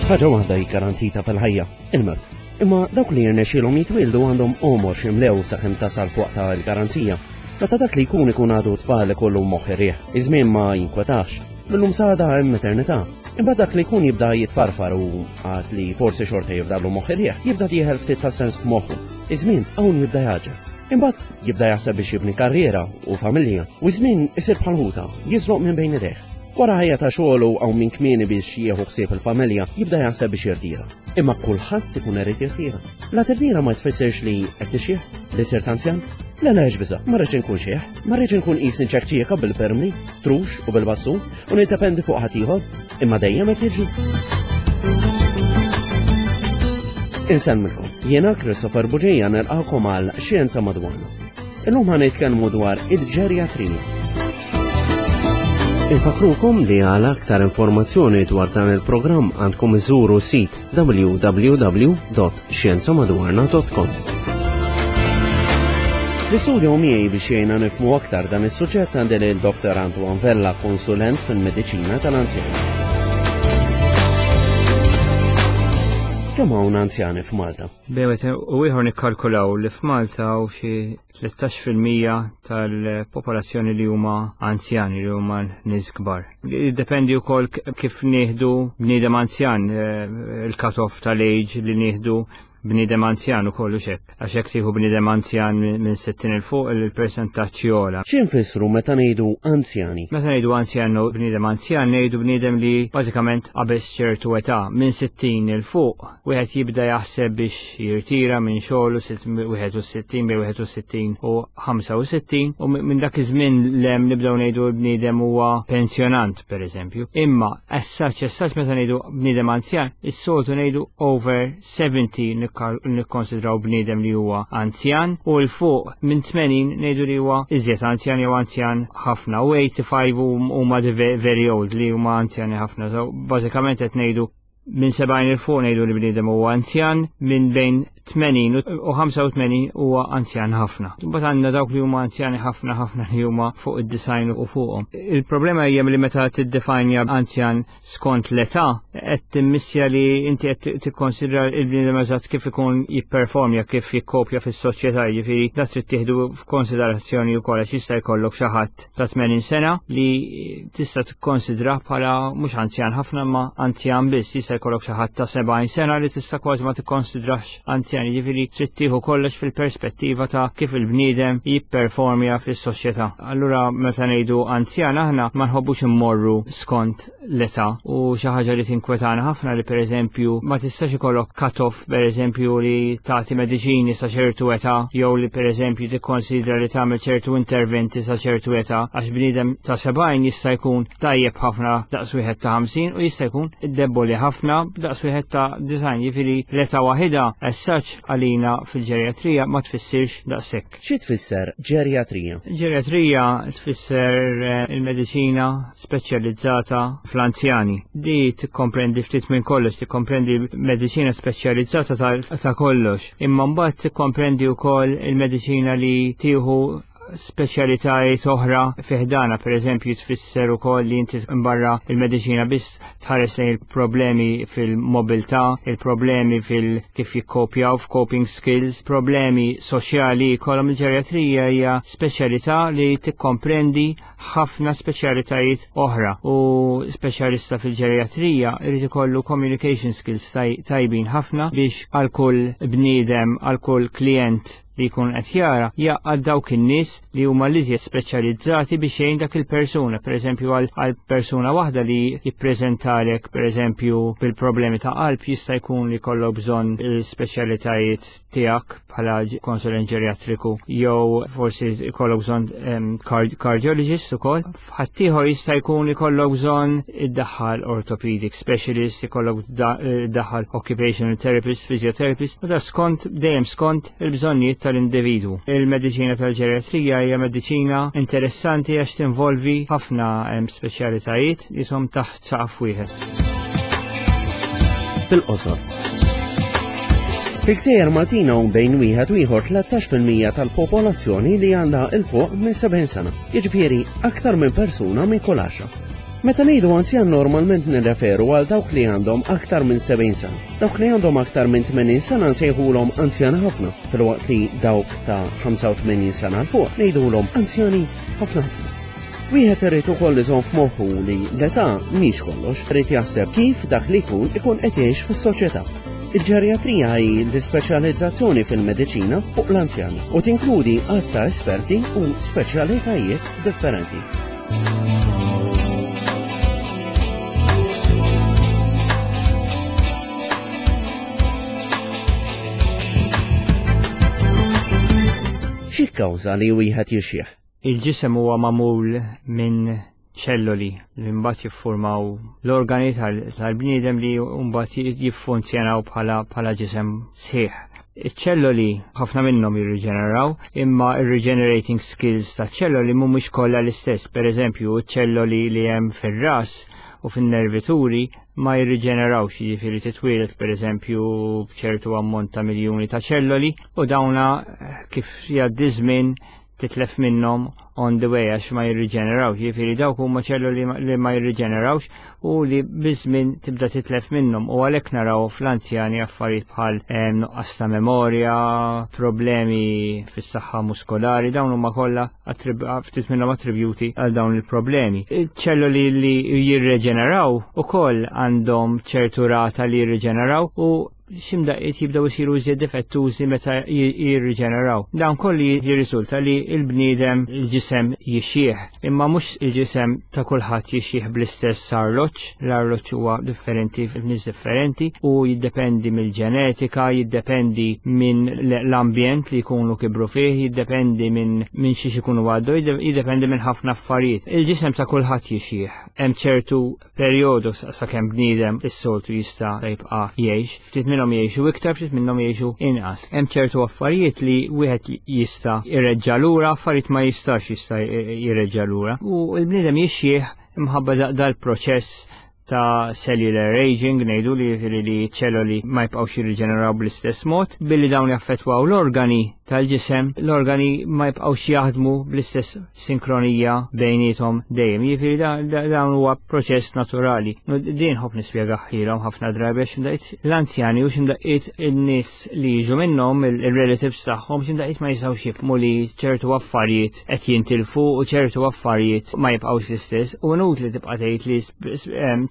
Ħaġa waħda hi garantita fil-ħajja, il-mewt. Imma dawk li jirnexxielhom jitwieldu għandhom għomor x'imlew sakemm tasal fuq ta' il-garanzija. Meta dak li jkun ikun għadu tfal ikollu moħħ irrieħ, iż-żmien ma jinkwetax. Millum sada hemm eternità. Imbagħad dak li jkun jibda jitfarfar u għad li forsi xorta jifdallu moħħ irrieħ, jibda dieħel ftit ta' sens f'moħħu. Iż-żmien hawn jibda jaġel. Imbagħad jibda jaħseb biex jibni karriera u familja u ż-żmien isir bħal ħuta, jiżloq minn bejn idejh. Wara ħajja ta' xogħol u hawn minn kmieni biex jieħu ħsieb il-familja, jibda jaħseb biex jirtira. Imma kulħadd ikun irid jirtira. La tirtira ma tfissirx li qed tixjih, li sirt anzjan. Le le biża, ma rridx inkun xieħ, ma rridx inkun qisni ċekċieka bil-permli, trux u bil-bassu, u niddependi fuq ħaddieħor, imma dejjem qed jiġri. Insellmilkom, jiena Christopher Buġeja nilqakom għal Xjenza Madwarna. Illum ħa nitkellmu dwar il-ġerjatrija. Infakrukom li għal aktar informazzjoni dwar dan il-programm għandkom iżuru sit www.xjenzamadwarna.com. L-istudju miegħi biex jgħinna nifhmu aktar dan is-suġġett għandi lil Dr. Antoine Vella, konsulent fil-mediċina tal-anzjani. Kemm hawn anzjani f'Malta? Bejn u ieħor nikkalkulaw li f'Malta hawn xi 13% tal-popolazzjoni li huma anzjani li huma nies kbar. Jiddependi wkoll kif nieħdu bniedem anzjan, eh, il-cut-off tal-age li nieħdu bniedem anzjan ukoll u xek. Għax hekk tieħu bniedem anzjan minn 60 il fuq il-persentaġġ jogħla. Xi nfissru meta ngħidu anzjani? Meta ngħidu anzjan u bniedem anzjan ngħidu bniedem li bażikament qabeż ċertu età minn 60 il fuq wieħed jibda jaħseb biex jirtira minn xogħlu 61 bejn 61 u 65 u minn dak iż-żmien lem nibdew ngħidu l-bniedem huwa pensjonant pereżempju. Imma as such as such meta ngħidu bniedem anzjan, is-soltu ngħidu over 70 nikkonsidraw bniedem li huwa anzjan u l fuq minn 80 ngħidu li huwa iżjed anzjan jew anzjan ħafna u 85 huma very old li huma anzjani ħafna. So bażikament qed ngħidu minn 70 il fuq ngħidu li bniedem huwa anzjan, minn bejn 80 u 85 huwa anzjan ħafna. Imbagħad għandna dawk li huma anzjani ħafna ħafna li huma fuq id-design u fuqhom. Il-problema hija li meta tiddefajnja anzjan skont l-età qed timmissja li inti qed tikkonsidra l-bniedem eżatt kif ikun jipperformja kif jikkopja fis-soċjetà, jiġifieri da trid tieħdu f'konsiderazzjoni wkoll għax jista' jkollok xi ħadd ta' 80 sena li tista' tikkonsidra bħala mhux anzjan ħafna ma anzjan biss, jista' jkollok xi ħadd ta' 70 sena li tista' kważi ma tikkonsidrax anzjan, jiġifieri trid tieħu kollox fil-perspettiva ta' kif il-bniedem jipperformja fis-soċjetà. Allura meta ngħidu anzjan aħna ma nħobbux immorru skont l-età u xi ħaġa li tinkwetana ħafna li pereżempju ma tistax ikollok cut-off pereżempju li tagħti mediċini sa ċertu età jew li pereżempju tikkonsidra li tagħmel ċertu interventi sa ċertu età għax bniedem ta' 70 jista' jkun tajjeb ħafna daqs wieħed ta' 50 u jista' jkun deboli ħafna daqs wieħed ta' design jiġifieri l-età waħida as such għalina fil-ġerjatrija ma tfissirx daqshekk. Xi tfisser ġerjatrija? Ġerjatrija tfisser eh, il-mediċina speċjalizzata fl-anzjani. Di tikkomprendi ftit minn kollox, tikkomprendi mediċina speċjalizzata ta' kollox, imma mbagħad tikkomprendi wkoll il-mediċina li tieħu speċjalitajiet oħra fiħdana, per eżempju, tfisser ukoll li inti mbarra il-mediċina biss tħares lejn il-problemi fil-mobilità, il-problemi fil kif jikkopjaw f'coping skills, problemi soċjali jkollhom il-ġerjatrija hija speċjalità li tikkomprendi ħafna speċjalitajiet oħra u speċjalista fil-ġerjatrija irid ikollu communication skills tajbin ħafna biex għal kull bniedem, għal kull klient li jkun qed jara jaqgħad dawk in-nies li huma l-iżjed speċjalizzati biex jgħin dak il-persuna, pereżempju għal persuna waħda li jippreżentalek pereżempju bil-problemi ta' qalb jista' jkun li jkollok bżonn il-speċjalitajiet tiegħek bħala konsulent ġeriatriku jew forsi jkollok bżonn cardiologist ukoll. Ħaddieħor jista' jkun ikollok bżonn iddaħħal orthopedic specialist, ikollok iddaħħal occupational therapist, physiotherapist, u da skont dejjem skont il-bżonnijiet tal-individwu. Il-mediċina tal-ġeriatrija hija mediċina interessanti għax tinvolvi ħafna speċjalitajiet li jisom taħt saqaf wieħed. Fil-qosor. Fil-gżejjer Maltin hawn bejn wieħed u ieħor 13% tal-popolazzjoni li għandha 'il fuq minn 70 sena. Jiġifieri aktar minn persuna minn kull għaxra. Meta ngħidu anzjan normalment nirreferu għal dawk li għandhom aktar minn 70 sena. Dawk li għandhom aktar minn 80 sena nsejħulhom anzjani ħafna, filwaqt li dawk ta' 85 sena 'l fuq ngħidulhom anzjani ħafna ħafna. Wieħed irid ukoll iżomm f'moħħu li l-età mhix kollox, irid jaħseb kif dak li jkun ikun qed jgħix fis-soċjetà. Il-ġerjatrija hi l-ispeċjalizzazzjoni fil-mediċina fuq l-anzjani u tinkludi għadd ta' esperti u speċjalitajiet differenti. Xi kkawża li wieħed jixjieħ? Il-ġisem huwa magħmul minn ċelloli li mbagħad jiffurmaw l-organi tal-bniedem li mbagħad jiffunzjonaw bħala ġisem sħiħ. Iċ-ċelloli ħafna minnhom jirriġeneraw, imma ir-regenerating skills ta' ċelloli mhumiex kollha l-istess. Per eżempju, iċ-ċelloli li hemm fir-ras u fin-nervituri ma jirriġenerawx, jiġifieri titwieled per eżempju b'ċertu ammont ta' miljuni ta' ċelloli u dawna kif jgħaddi żmien titlef minnhom on the way għax ma jirriġenerawx, jiġifieri dawk huma ċelluli li ma jirriġenerawx u li biż-żmien tibda titlef minnhom u għalhekk naraw fl-anzjani affarijiet bħal eh, nuqqas ta' memorja, problemi fis-saħħa muskolari, dawn huma kollha ftit minnhom attribjuti għal dawn il-problemi. Ċelluli li jirreġeneraw ukoll għandhom ċertu rata li jirriġeneraw u x'imdaqqiet jibdew isiru iżjed difettużi meta jirriġeneraw. Dan kollu jirriżulta li l-bniedem il-ġisem jixjieħ, imma mhux il-ġisem ta' kulħadd jixjieħ bl-istess arloġġ, l-arloġġ huwa differenti f'nies differenti u jiddependi mill-ġenetika, jiddependi minn l-ambjent li jkunu kibru fih, jiddependi minn minn xiex ikunu għaddu, jiddependi minn ħafna affarijiet. Il-ġisem ta' kulħadd jixjieħ. Hemm ċertu perjodu sakemm bniedem is-soltu jista' jibqa' jgħix, ftit minnhom jgħixu iktar, ftit minnhom jgħixu inqas. Hemm ċertu affarijiet li wieħed jista' jreġġa' lura, affarijiet ma jistax jista' jreġġa' lura. U l-bniedem jixjieħ imħabba dal-proċess ta' cellular aging, ngħidu li li ċelloli ma jibqgħux jirriġeneraw bl-istess mod, billi dawn jaffettwaw l-organi tal-ġisem, l-organi ma jibqgħux jaħdmu bl-istess sinkronija bejniethom dejjem. Jiġifieri dawn huwa proċess naturali. Din ħobb nispjegaħilhom ħafna drabi għax x'imdaqqiet l-anzjani u x'imdaqqiet in-nies li jiġu minnhom il-relatives tagħhom x'imdaqqiet ma jistgħux jifhmu li ċertu affarijiet qed jintilfu u ċertu affarijiet ma jibqgħux l-istess u inutli tibqa' tgħid li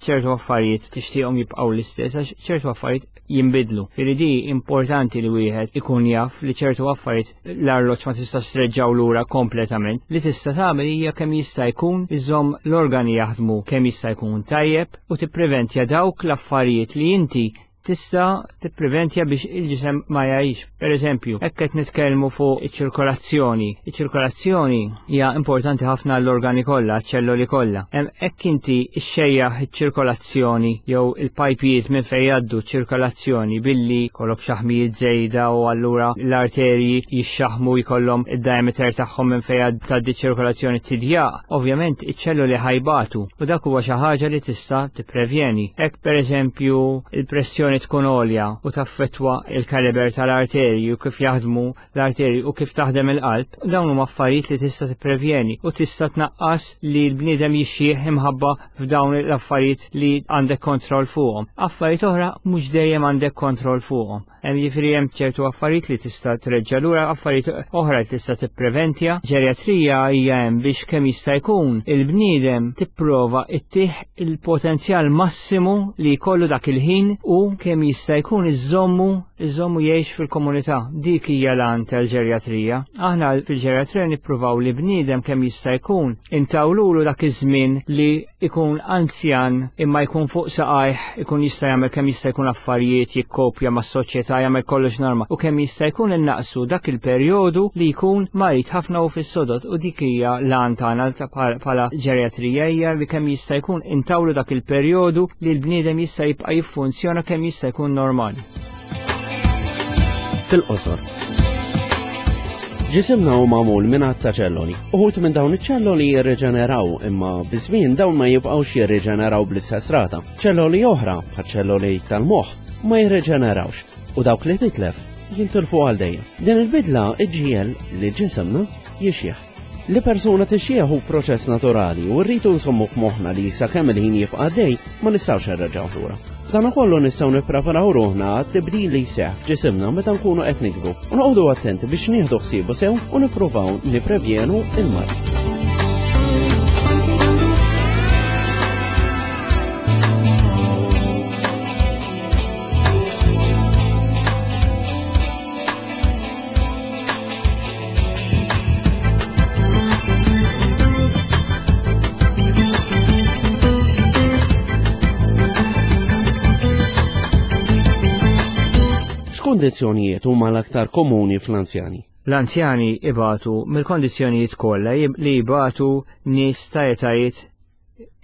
ċertu affarijiet tixtieqhom jibqgħu l-istess għax ċertu affarijiet jinbidlu. Firri di importanti li wieħed ikun jaf li ċertu affarijiet l-arloġġ ma tistax treġġaw lura kompletament. Li tista' tagħmel hija kemm jista' jkun iżomm l-organi jaħdmu kemm jista' jkun tajjeb u tippreventja dawk l-affarijiet li inti tista' tippreventja biex il-ġisem ma jgħix. Per eżempju, hekk qed nitkellmu fuq iċ-ċirkolazzjoni. Iċ-ċirkolazzjoni hija importanti ħafna għall-organi kollha, għaċ-ċelloli kollha. Hekk inti xxejjaħ iċ-ċirkolazzjoni jew il-pajpijiet minn fejn jgħaddu ċ-ċirkolazzjoni billi jkollok xaħmijiet żejda u allura l-arterji jixxaħmu jkollhom id-diameter tagħhom minn fejn tgħaddi ċ-ċirkolazzjoni tidjaq, ovvjament iċ-ċelloli ħajbatu u dak huwa xi ħaġa li tista' tipprevjeni. Hekk pereżempju il-pressjoni tkun għolja u taffettwa il-kaliber tal-arterji u kif jaħdmu l-arterji u kif taħdem il-qalb, dawn huma affarijiet li tista' tipprevjeni u tista' tnaqqas li l-bniedem jixjieħ imħabba f'dawn l-affarijiet li għandek kontroll fuqhom. Affarijiet oħra mhux dejjem għandek kontroll fuqhom. Hemm jiġifieri hemm ċertu affarijiet li tista' treġġa' lura, affarijiet oħra li tista' tippreventja. Ġerjatrija hija hemm biex kemm jista' jkun il-bniedem tipprova ittih il-potenzjal massimu li jkollu dak il-ħin u kemm jista' jkun iżommu iżommu jgħix fil-komunità. Dik hija l-għan tal-ġerjatrija. Aħna fil-ġerjatrija nippruvaw li bniedem kemm jista' jkun intawlulu dak iż-żmien li ikun anzjan imma jkun fuq saqajh, ikun jista' jagħmel kemm jista' jkun affarijiet, jikkopja mas-soċjetà, jagħmel kollox norma u kemm jista' jkun innaqsu dak il-perjodu li jkun marid ħafna u fis-sodod u dik hija l-għan tagħna bħala ġerjatrija hija li kemm jista' jkun intawlu dak il-perjodu li l-bniedem jista' jibqa' jiffunzjona kemm jista' jkun normali. Fil-qosor. Ġisimna hu magħmul minn għadd ta' ċelloli. Uħud minn dawn iċ-ċelloli jirriġeneraw imma biż-żmien dawn ma jibqgħux jirriġeneraw bl-istess rata. Ċelloli oħra, bħal ċelloli tal-moħħ, ma jirriġenerawx u dawk li titlef jintilfu għal dejjem. Din il-bidla iġġiegħel li ġisimna jixjieħ. Li persuna tixjieħ hu proċess naturali u rridu nsommu f'moħħna li sakemm il-ħin jibqa' għaddej ma nistgħux nreġgħu lura. Dan ukollu nistgħu nippreparaw ruħna għat-tibdil li jseħħ f'ġisimna meta nkunu qed nikbru u noqogħdu attenti biex nieħdu ħsiebu sew u nippruvaw nipprevjenu il-mard. X'kondizzjonijiet huma l-aktar komuni fl-anzjani? L-anzjani ibatu mill-kondizzjonijiet kollha li jibatu nies ta' etajiet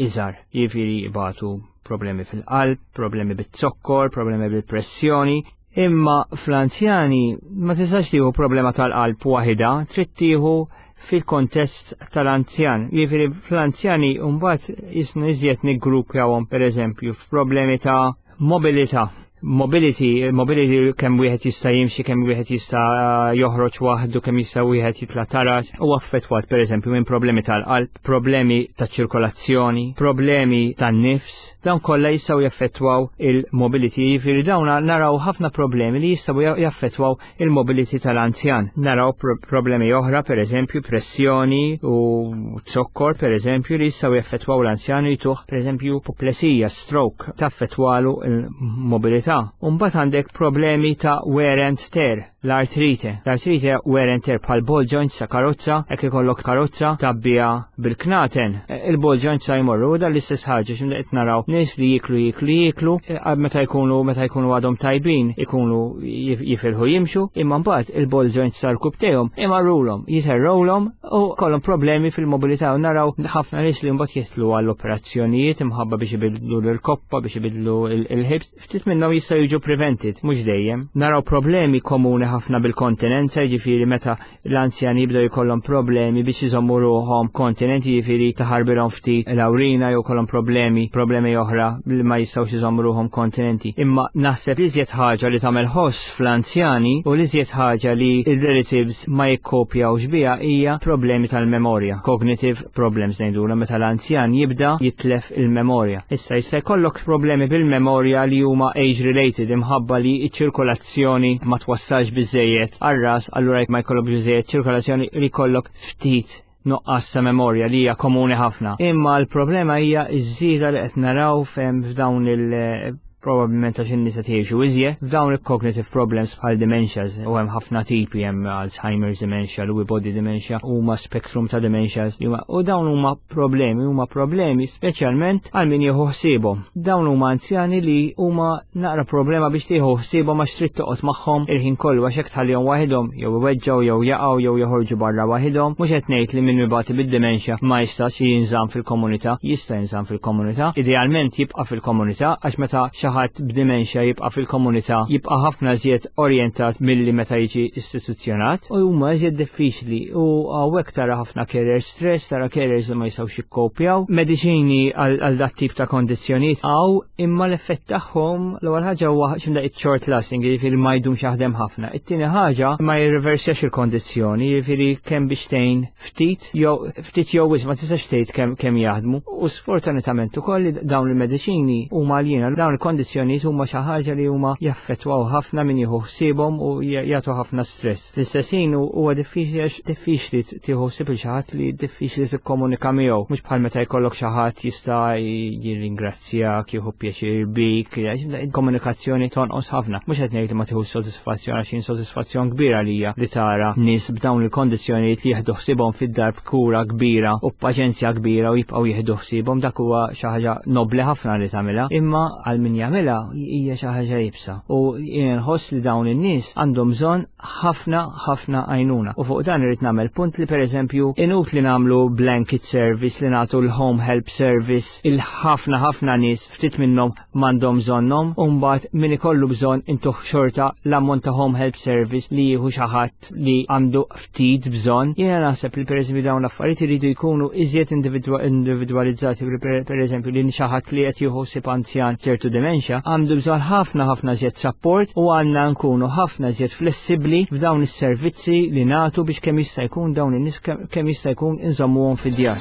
iżgħar, jiġifieri jibatu problemi fil-qalb, problemi bit-zokkor, problemi bil-pressjoni, imma fl-anzjani ma tistax tieħu problema tal-qalb waħida, trid tieħu fil-kontest tal-anzjan. Jiġifieri fl-anzjani mbagħad jisna iżjed niggruppjawhom pereżempju f'problemi ta' mobilità mobility, mobility kemm wieħed jista' jimxi, kemm wieħed jista' joħroġ waħdu, kemm jista' wieħed jitla' taraġ, u affettwat pereżempju minn problemi tal-qalb, problemi ta' ċirkolazzjoni, problemi tan-nifs, dawn kollha jistgħu jaffettwaw il-mobility, jiġifieri dawn naraw ħafna problemi li jistgħu jaffettwaw il-mobility tal-anzjan. Naraw problemi oħra, per eżempju, pressjoni u zokkor, per eżempju, li jistgħu jaffettwaw l-anzjan u jtuh, per eżempju, puplesija, stroke, taffettwalu il-mobilità. Umbagħad għandek problemi ta' wear and tear, l-artrite. L-artrite wear and tear bħal ball joints ta' karozza, hekk ikollok karozza tabbija bil-knaten. Il-ball joints sa jmorru u dan l-istess ħaġa x'imda qed naraw nies li jiklu jiklu jiklu e, meta jkunu meta jkunu għadhom tajbin ikunu jifilħu jimxu, imma mbagħad il-ball joints tal-kub tagħhom imarrulhom, jiterrowlhom u kollhom problemi fil-mobilità u naraw ħafna nies li mbagħad jitlu għall-operazzjonijiet imħabba biex ibidlu l-koppa biex ibidlu il-ħibs Ftit minnhom jistgħu jiġu prevented, mhux dejjem. Naraw problemi komuni ħafna bil-kontinenza, jiġifieri meta l-anzjani jibdew jkollhom problemi biex iżommu ruħhom kontinenti, jiġifieri taħarbilhom ftit l-awrina jew kollhom problemi, problemi oħra li ma jistgħux iżommu ruħhom kontinenti. Imma naħseb li iżjed ħaġa li tagħmel ħoss fl-anzjani u li iżjed ħaġa li il-relatives ma jikkopjawx biha hija problemi tal-memorja, cognitive problems ngħidulha meta l-anzjan jibda jitlef il-memorja. Issa jista' jkollok problemi bil-memorja li huma age related imħabba li ċ-ċirkolazzjoni ma twassalx biżejjed għar-ras allura jekk ma jkollok biżejjed ċirkolazzjoni li jkollok ftit nuqqas ta' memorja li hija komuni ħafna. Imma l-problema hija ż-żieda li qed naraw fem f'dawn il- probabbilment għax in-nisa tgħixu iżjed, f'dawn il-cognitive problems bħal dementias u hemm ħafna tipi hemm Alzheimer's dementia, Lewy body dementia, huma spectrum ta' dementias u dawn huma problemi, huma problemi speċjalment għal min jieħu ħsiebhom. Dawn huma anzjani li huma naqra problema biex tieħu ħsiebhom għax trid toqgħod magħhom il-ħin kollu għax hekk tħallihom waħidhom jew iweġġgħu jew jaqgħu jew joħorġu barra waħidhom. Mhux qed ngħid li min mibati bid-dementia ma jistax jinżamm fil-komunità, jista' jinżamm fil-komunità. Idealment jibqa' fil-komunità għax meta xi ħadd b'dimensja jibqa' fil-komunità jibqa' ħafna iżjed orjentat milli meta jiġi istituzzjonat u huma iżjed diffiċli u hawnhekk tara ħafna carer stress, tara carers li ma jistgħux jikkopjaw. Mediċini għal dat tip ta' kondizzjonijiet hawn imma l-effett tagħhom l-ewwel ħaġa huwa x'imdaqqiet short lasting, jiġifieri ma jdumx jaħdem ħafna. It-tieni ħaġa ma jirriversjax il-kondizzjoni, jiġifieri kemm biex tgħin ftit jew ftit jew wisq ma tistax tgħid kemm kemm jaħdmu. U sfortunatament ukoll li dawn il-mediċini huma għaljina, dawn il-kondizzjonijiet huma xi ħaġa li huma jaffettwaw ħafna min jieħu ħsiebhom u jagħtu ħafna stress. Fl-istess ħin huwa diffiċli għax diffiċli tieħu ħsieb il xi ħadd li diffiċli tikkomunika miegħu, mhux bħal meta jkollok xi ħadd jista' jirringrazzjak, jieħu pjaċir bik, il-komunikazzjoni tonqos ħafna. Mhux qed ngħid li ma tieħux sodisfazzjon għax jien sodisfazzjon kbir għalija li tara nies b'dawn il-kondizzjonijiet li jieħdu ħsiebhom fid-dar b'kura kbira u b'paċenzja kbira u jibqgħu jieħdu ħsiebhom dak huwa xi ħaġa nobbli ħafna li tagħmilha, imma għal min jagħmilha hija xi ħaġa iebsa. U jien nħoss li dawn in-nies għandhom bżonn ħafna ħafna għajnuna. U fuq dan irrid nagħmel punt li pereżempju inutli nagħmlu blanket service li nagħtu l-home help service il-ħafna ħafna nies ftit minnhom m'għandhom bżonnhom u mbagħad min ikollu bżonn intuh xorta l-ammont ta' home help service li jieħu xi ħadd li għandu ftit bżonn. Jiena naħseb li pereżempju dawn l-affarijiet iridu jkunu iżjed individwalizzati pereżempju li xi ħadd li qed jieħu ħsieb anzjan ċertu dementia dementia għandu bżonn ħafna ħafna iżjed support u għandna nkunu ħafna iżjed flessibbli f'dawn is-servizzi li nagħtu biex kemm jista' jkun dawn in-nies kemm jista' jkun inżommuhom fid-djar.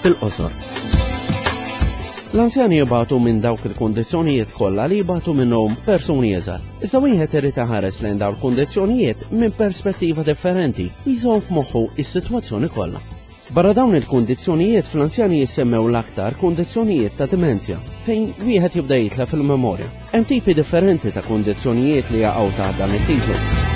Fil-qosor. L-anzjani jibatu minn dawk il-kundizzjonijiet kollha li jibatu minnhom persuni iżgħar. Iżda wieħed irid iħares lejn dawn il-kundizzjonijiet minn perspettiva differenti u jżomm f'moħħu is-sitwazzjoni kollha. Barra dawn il-kundizzjonijiet fl-anzjani jissemmew l-aktar kundizzjonijiet ta' dimenzja fejn wieħed jibda jitlef il-memorja. Hemm tipi differenti ta' kundizzjonijiet li jaqgħu taħt dan it-titlu.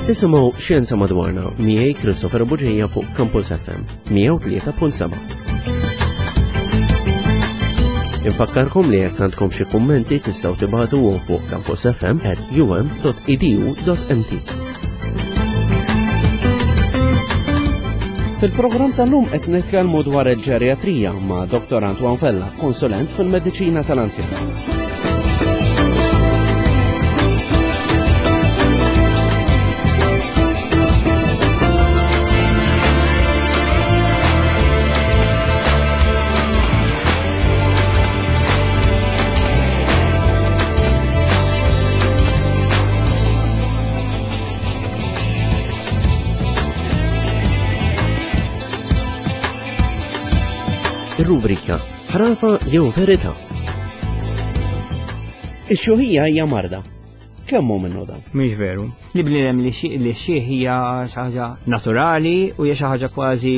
Qed tisimgħu Xjenza Madwarna miegħi Christopher Buġija fuq Campus FM 103.7. Infakkarkom li jekk għandkom xi kummenti tistgħu tibagħtuhom fuq campusfm@um.edu.mt. Fil-programm tal-lum qed nitkellmu dwar il-ġeriatrija ma' Dr. Antoine Vella, konsulent fil-mediċina tal-anzjani. Ir-rubrika Ħrafa jew Verità. Ix-xuħija hija marda. Kemm hu minnu dan? Mhix veru. Li bniedem li xi hija xi ħaġa naturali u hija xi ħaġa kważi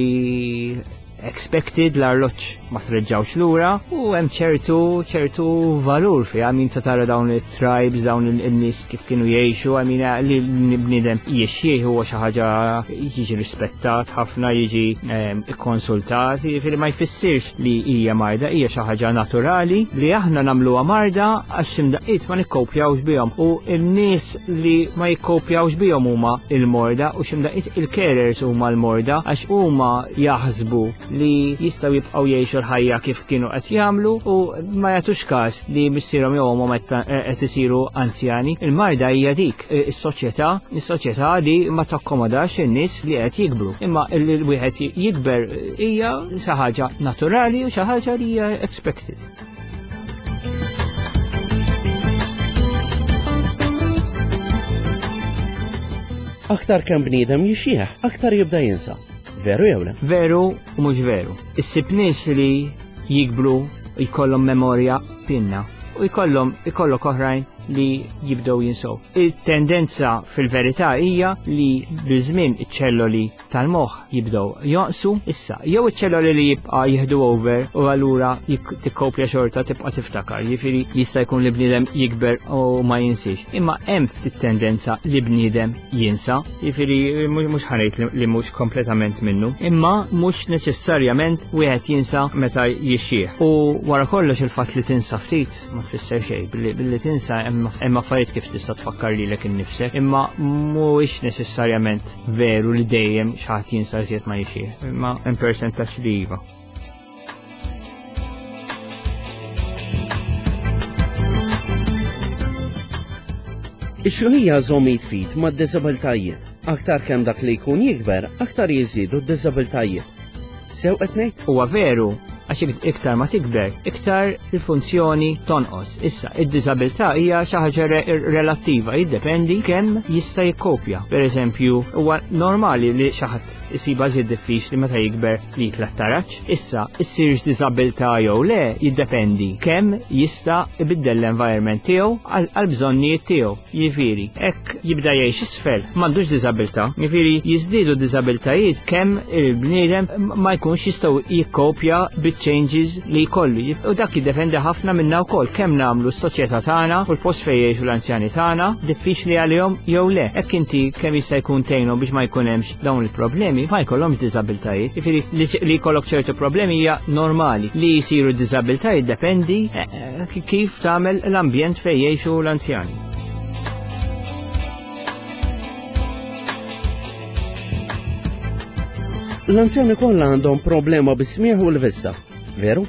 expected l-arloġġ ma treġġawx lura u hemm ċertu ċertu valur fiha min ta' tara dawn it-tribes dawn in-nies kif kienu jgħixu għamin li bniedem jixxieħ huwa xi ħaġa jiġi rispettat ħafna jiġi ehm, ikkonsultat jiġifieri ma jfissirx li hija marda hija xi ħaġa naturali li aħna nagħmluha marda għax x'imdaqqiet ma nikkopjawx bihom u n-nies li ma jikkopjawx bihom huma il-morda u x'imdaqqiet il-carers huma l-morda għax huma jaħsbu li jistgħu jibqgħu jgħixu l-ħajja kif kienu qed jagħmlu u ma jagħtux każ li missierhom jew ommhom qed isiru anzjani. Il-marda hija dik is-soċjetà, is-soċjetà li ma takkomodax in-nies li qed jikbru. Imma li wieħed jikber hija xi ħaġa naturali u xi ħaġa li hija expected. Aktar kemm bniedem jixjieħ, aktar jibda jinsa. Veru jew le? Veru u mhux veru. Issib nies li jikbru jkollhom memorja pinna u jkollhom ikollok oħrajn li jibdew jinsow. Il-tendenza fil-verità hija li biż-żmien iċ-ċelloli tal-moħħ jibdew jonqsu issa jew iċ-ċelloli li jibqa' jieħdu over u allura tikkopja xorta tibqa' tiftakar, jiġifieri jista' jkun li bniedem jikber u ma jinsiex. Imma hemm ftit tendenza li bniedem jinsa, jiġifieri mhux ħanejt li mhux kompletament minnu, imma mhux neċessarjament wieħed jinsa meta jixxieħ. U wara kollox il-fatt li tinsa ftit ma tfisser xejn, billi tinsa hemm affarijiet kif tista' tfakkar lilek innifsek, imma mhuwiex neċessarjament veru li dejjem xi ħadd jinsa iżjed ma jixxieħ, imma hemm persentaġġ li iva. Ix-xjuħija żomm id f'id mad-diżabiltajiet. Aktar kemm dak li jkun jikber, aktar jiżdiedu d-diżabiltajiet. Sew qed ngħid? Huwa veru, għax iktar ma tikber, iktar il-funzjoni tonqos. Issa, id-diżabilità hija xi ħaġa relattiva, jiddependi kemm jista' jikkopja. Per eżempju, huwa normali li xi ħadd isibha żied diffiċli meta jikber li jitla' taraġ. Issa, issirx diżabilità jew le jiddependi kemm jista' ibiddel l-environment tiegħu għall-bżonnijiet tiegħu. Jiġifieri, hekk jibda jgħix isfel, m'għandux diżabilità. Jiġifieri jiżdiedu diżabilitajiet kemm il-bniedem ma jkunx jistgħu jikkopja biċ-changes li jkollu. U dak jiddependi ħafna minna wkoll kemm nagħmlu s-soċjetà tagħna u l-post fejn jgħixu l-anzjani tagħna diffiċli għalihom jew le. Hekk inti kemm jista' jkun tgħinhom biex ma jkun hemmx dawn il-problemi ma jkollhomx diżabiltajiet. Jiġifieri li jkollok ċertu problemi hija normali. Li jsiru diżabiltajiet dependi eh, eh, kif tagħmel l-ambjent fejn jgħixu l-anzjani. L-anzjani kollha għandhom problema bis-smieħ u l-vista, veru?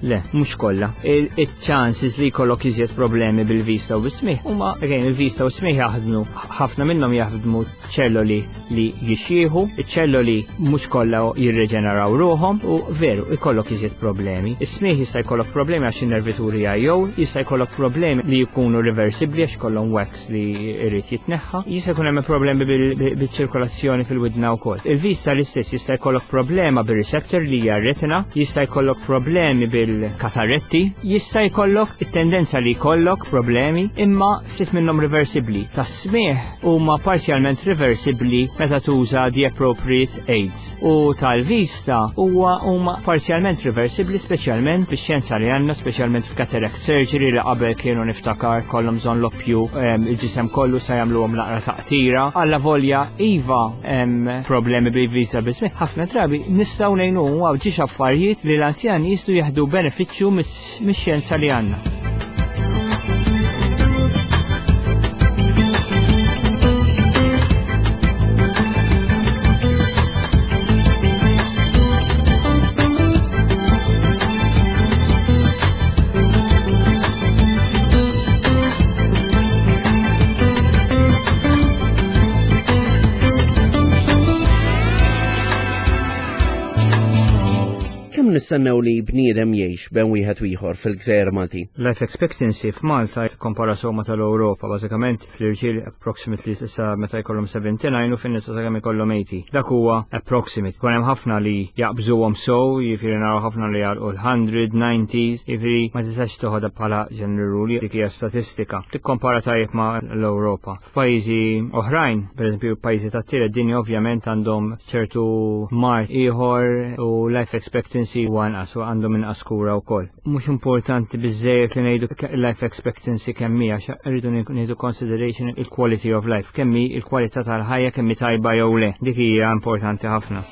Le, mhux kollha. Il-chances li jkollok iżjed problemi bil-vista u bis-smieħ huma again il-vista u s-smieħ jaħdmu ħafna minnhom jaħdmu ċelloli li jixxieħu, iċ-ċelloli mhux kollha jirreġeneraw ruħhom u veru ikollok iżjed problemi. Is-smieħ jista' jkollok problemi għax in-nervituri jew jista' jkollok problemi li jkunu reversibbli għax kollhom wax li jrid jitneħħa. Jista' jkun hemm problemi bil-ċirkolazzjoni fil-widna wkoll. Il-vista l-istess jista' jkollok problema bir-receptor li hija retina, jista' jkollok problemi bil-kataretti, jista' jkollok it-tendenza li jkollok problemi imma ftit minnhom reversibbli. Tas-smieħ huma parzjalment reversibbli meta tuża the appropriate aids. U tal-vista huwa huma parzjalment reversibbli speċjalment fix-xjenza li għandna, speċjalment f'cataract surgery li qabel kienu niftakar kollhom bżonn loppju il-ġisem kollu sa jagħmluhom naqra taqtira. Alla volja iva hemm problemi bil-vista biss ħafna drabi nistgħu ngħinu għaw ġiex affarijiet li l-anzjani jistgħu jieħdu benefiċċju mix-xjenza li għandna. Kemm nistennew li bniedem jgħix bejn wieħed u ieħor fil-gżejjer Maltin? Life expectancy f'Malta kompara ma tal-Ewropa, bażikament fl-irġiel approximately sa meta jkollhom 79 u fin-nisa sakemm ikollhom 80. Dak huwa approximate. Kun hemm ħafna li jaqbżuhom sow, jiġifieri naraw ħafna li jagħlqu l-100, 90s, jiġifieri ma tistax toħodha bħala general rule, dik hija statistika. Tikkompara tajjeb ma' l-Ewropa. F'pajjiżi oħrajn, pereżempju pajjiżi tat-tielet dinja ovvjament għandhom ċertu mard ieħor u life expectancy huwa inqas u għandhom inqas kura wkoll. Mhux importanti biżżejjed li ngħidu life expectancy kemm hija, rridu nieħdu consideration il-quality of life, kemm hi il-kwalità tal-ħajja kemm hi tajba jew le. Dik hija importanti ħafna.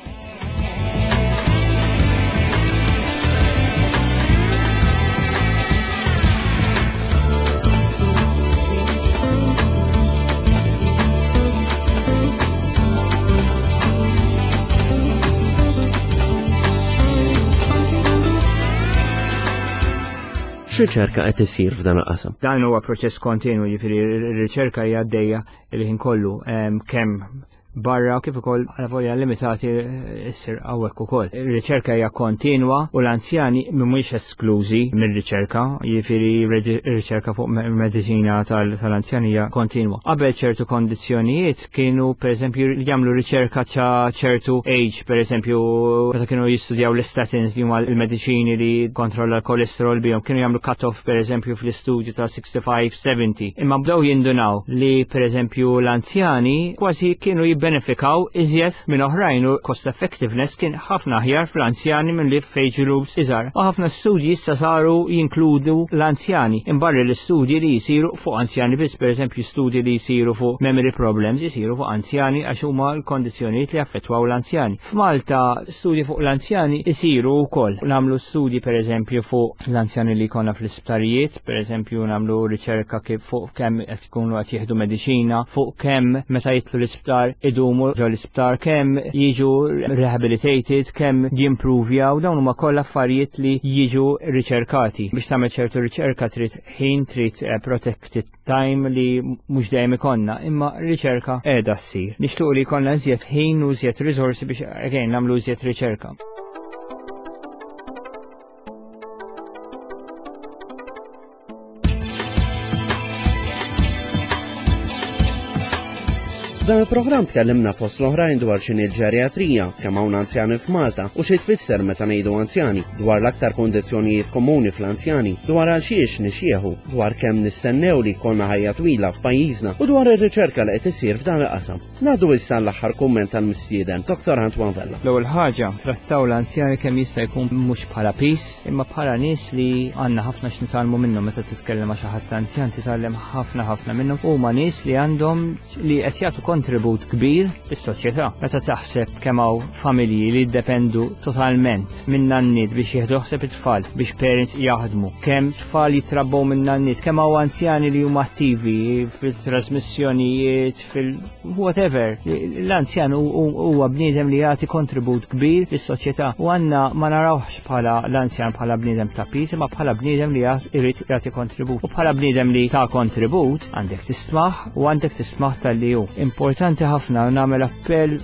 X'riċerka qed isir f'dan il-qasam? Dan huwa proċess kontinwu, jiġifieri r-riċerka hija għaddejja il-ħin kollu kemm barra kif ukoll għal limitati issir hawnhekk ukoll. Ir-riċerka hija kontinwa u l-anzjani mhumiex esklużi mir-riċerka, jiġifieri r-riċerka fuq mediċina tal-anzjani hija kontinwa. Qabel ċertu kondizzjonijiet kienu pereżempju jagħmlu riċerka ta' ċertu age, pereżempju meta kienu jistudjaw l-istatins li huma l-mediċini li kontrolla l-kolesterol bihom, kienu jagħmlu cut-off pereżempju fl-istudju ta' 65-70. Imma bdew jindunaw li pereżempju l-anzjani kważi kienu jibbenefikaw iżjed minn oħrajn u cost effectiveness kien ħafna aħjar fl-anzjani minn li f'age groups iżgħar. U ħafna studji issa saru jinkludu l-anzjani. Imbarri l-istudji li jisiru fuq anzjani biss, pereżempju studji li jisiru fuq memory problems jisiru fuq anzjani għax huma l-kondizzjonijiet li affettwaw l-anzjani. F'Malta studji fuq l-anzjani jisiru wkoll. Nagħmlu studji pereżempju fuq l-anzjani li jkollna fl-isptarijiet, pereżempju nagħmlu riċerka kif fuq kemm qed ikunu qed jieħdu mediċina, fuq kemm meta jidħlu l-isptar idumu ġo l-isptar, kemm jiġu rehabilitated, kemm jimpruvjaw, dawn huma kollha affarijiet li jiġu riċerkati. Biex tagħmel ċertu riċerka trid ħin, trid eh, protected time li mhux dejjem ikollna, imma riċerka qiegħda ssir. Nixtiequ li jkollna iżjed ħin u iżjed riżorsi biex again nagħmlu iżjed riċerka. Dan il-programm tkellimna fost l-oħrajn dwar x'inhi l-ġeriatrija, kemm hawn anzjani f'Malta u xi tfisser meta ngħidu anzjani, dwar l-aktar kundizzjonijiet komuni fl-anzjani, dwar għal xiex nixjieħu, dwar kemm nistennew li jkollna ħajja twila f'pajjiżna u dwar ir-riċerka li qed isir f'dan il-qasam. Ngħaddu issa l-aħħar kumment tal-mistieden, Dr. Antoine Vella. L-ewwel ħaġa, trattaw l-anzjani kemm jista' jkun mhux bħala pis, imma bħala nies li għandna ħafna x'nitgħallmu minnhom meta titkellem ma' xi ħadd anzjan titgħallem ħafna ħafna minnhom. Huma nies li għandhom li qed jagħtu kontribut kbir fis-soċjetà. Meta taħseb kemm hawn familji li jiddependu totalment minn nanniet biex jieħdu ħsieb it-tfal, biex parents jaħdmu, kemm tfal jitrabbew minn nanniet, kemm hawn anzjani li huma attivi fil-trasmissjonijiet, fil-whatever. L-anzjan huwa bniedem li jagħti kontribut kbir lis-soċjetà u għandna ma narawhx bħala l-anzjan bħala bniedem ta' piż, imma bħala bniedem li jrid jagħti kontribut. U bħala bniedem li ta' kontribut għandek tismaħ u għandek tismaħ tal-li hu. Importanti ħafna nagħmel appell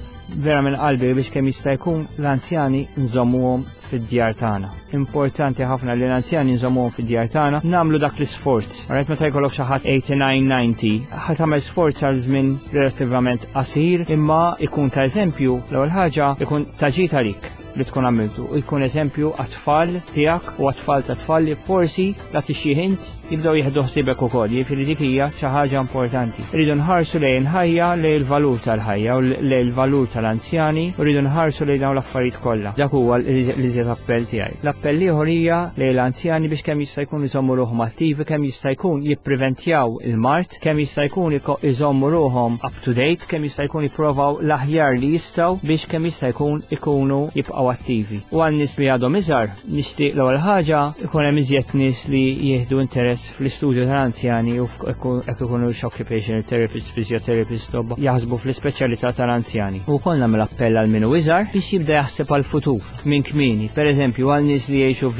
vera minn qalbi biex kemm jista' jkun l-anzjani nżommuhom fid-djar tagħna. Importanti ħafna li l-anzjani nżommuhom fid-djar tagħna, nagħmlu dak l-isforz. Rajt meta jkollok xi ħadd 89 90, ħa tagħmel sforz għal żmien relattivament qasir, imma ikun ta' eżempju l-ewwel ħaġa ikun ta' ġid għalik li tkun għamiltu. Ikun eżempju għat-tfal tiegħek u għat-tfal ta' tfal li forsi la tixjih int jibdew jieħdu ħsiebek ukoll, jiġifieri dik hija xi ħaġa importanti. Irridu nħarsu lejn ħajja, lejn il-valur tal-ħajja u lejn il-valur tal-anzjani, u rridu nħarsu lejn dawn l-affarijiet kollha. Dak huwa l-iżjed appell tiegħi. L-appell ieħor hija lejn l-anzjani biex kemm jista' jkun iżommu ruħhom attivi, kemm jista' jkun jippreventjaw il-mard, kemm jista' jkun iżommu ruħhom up to date, kemm jista' jkun jipprovaw l-aħjar li jistgħu biex kemm jista' jkun ikunu jibqgħu attivi. U għal nies li għadhom iżgħar, Nixtieq l-ewwel ħaġa ikun hemm iżjed nies li jieħdu interess fl-istudju tal-anzjani u hekk ikunu occupational therapist, physiotherapist, tobba jaħsbu fl-ispeċjalità tal-anzjani. U wkoll nagħmel appell għal min hu iżgħar biex jibda jaħseb għall-futur minn kmieni. Pereżempju għal nies li jgħixu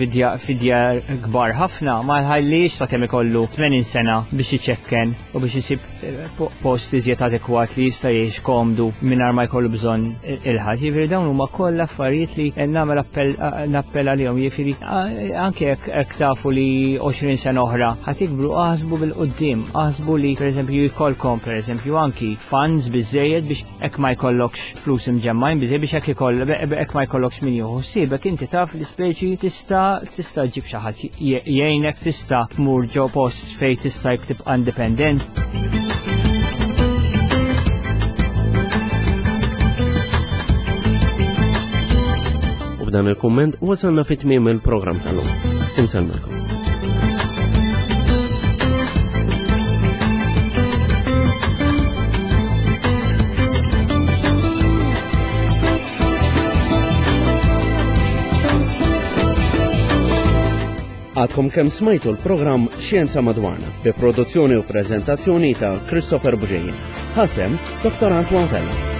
fid-djar kbar ħafna ma jħallix sakemm ikollu 80 sena biex iċekken u biex isib post iżjed adekwat li jista' jgħix komdu mingħajr ma jkollu bżonn il-ħadd. Jiġifieri dawn huma kollha affarijiet li nagħmel appell għalihom. Jiġifieri anke jekk tafu li 20 sena oħra ħa tikbru aħsbu bil-quddiem, aħsbu li pereżempju jkollkom pereżempju anki funds biżejjed biex hekk ma jkollokx flus imġemmajn biżejjed biex hekk ikoll hekk ma jkollokx min jieħu ħsiebek inti taf li speċi tista' tista' ġġib xi ħadd jgħinek tista' tmur ġo post Fejn tista' tibqa' indipendent. U b'dan il-kumment wasalna fit tmiem il-programm tal-lum. Insellmilkom. Għadkom kemm smajtu l-programm Xjenza Madwarna bi produzzjoni u preżentazzjoni ta' Christopher Buġeja. Ħasem Dr. Antoine Vella.